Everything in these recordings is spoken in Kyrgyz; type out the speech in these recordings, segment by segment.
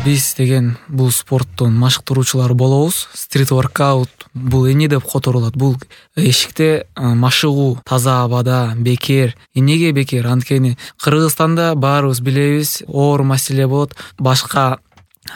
Биз деген бул спорттун машыктыруучулары болобуз. Стрит воркаут бул эмне деп которулат? Бул эшикте машыгуу, таза абада, бекер. Эмнеге бекер? Анткени Кыргызстанда баарыбыз билебиз, оор маселе болот. Башка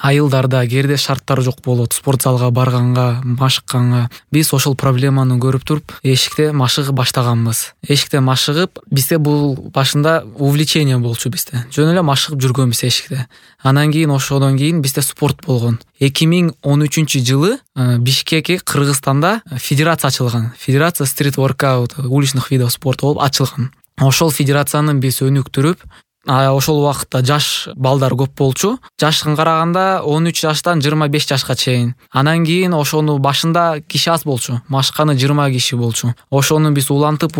айылдарда кээде шарттар жок болот. Спорт залга барганга, машыкканга. Биз ошол проблеманы көрүп туруп, эшикте машыгып баштаганбыз. Эшикте машыгып, бизде бул башында увлечение болчу бизде. Жөн эле машыгып жүргөнбүз эшикте. Анан кийин ошодон кийин бизде спорт болгон. 2013-жылы Бишкекке, Кыргызстанда федерация ачылган. Федерация стрит воркаут, уличных видов спорта болуп ачылган. Ошол федерацияны биз өнүктүрүп, ошол убакытта жаш балдар көп болчу. Жашын караганда 13 жаштан 25 жашка чейин. Анан кийин ошону башында киши аз болчу. Машыкканы 20 киши болчу. Ошону биз улантып,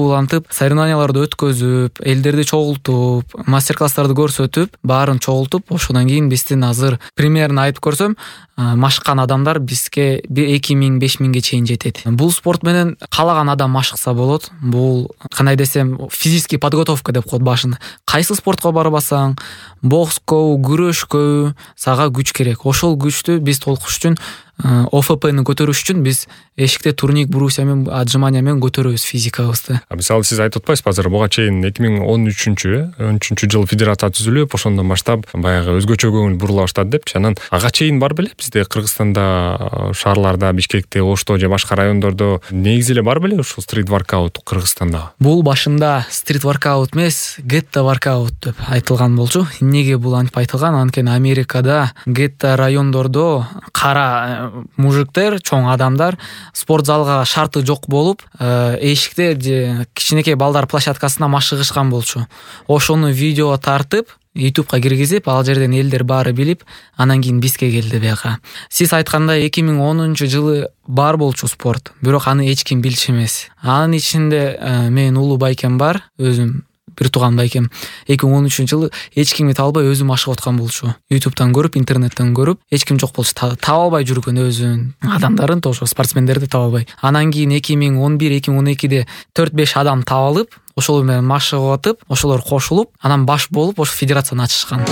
соревнованияларды өткөзүп, элдерди чогултуп, мастер-класстарды көрсөтүп, баарын чогултуп, ошондон кийин биздин азыр примерно айтып көрсөм, машыккан адамдар бизге 2000-5000ге чейин жетет. Бул спорт менен каалаган адам машыкса болот. Бул кандай десем, физический подготовка деп коет башында. Кайсы спортко барбасаң, бокскобу, күрөшкөбү, сага күч керек. Ошол күчтү биз толкуш үчүн, ОФПны көтөрүш үчүн биз эшикте турник, брусья менен, отжимания менен көтөрөбүз физикабызды. Мисалы сиз айтып атпайсызбы, азыр буга чейин 2013-жылы федерация түзүлүп, ошондон баштап баягы өзгөчө көңүл бурула баштады депчи. Анан ага чейин бар беле бизде Кыргызстанда, шаарларда, Бишкекте, Ошто же башка райондордо негизи эле бар беле ушул стрит воркаут Кыргызстанда? Бул башында стрит воркаут эмес, гетто воркаут деп айтылган болчу. Эмнеге бул антип айтылган? Анткени Америкада гетто райондордо кара мужиктер, чоң адамдар спорт залга шарты жок болуп, эшикте же кичинекей балдар площадкасына машыгышкан болчу. Ошону видео тартып, YouTube'га киргизип, ал жерден элдер баары билип, анан кийин бизге келди бияка. Сиз айткандай 2010-жылы бар болчу спорт, бирок аны эч ким билчү эмес. Анын ичинде менин улуу байкем бар, өзүм бир тууган байкем. 2013-жылы эч кимди табалбай өзү машыгып аткан болчу. YouTube'дан көрүп, интернеттен көрүп, эч ким жок болчу. Табалбай жүргөн өзүн адамдарын, тоже спортсмендерди табалбай. Анан кийин 2011-2012-де 4-5 адам табылып, ошолор менен машыгып атып, ошолор кошулуп, анан баш болуп, ошо федерацияны ачышкан.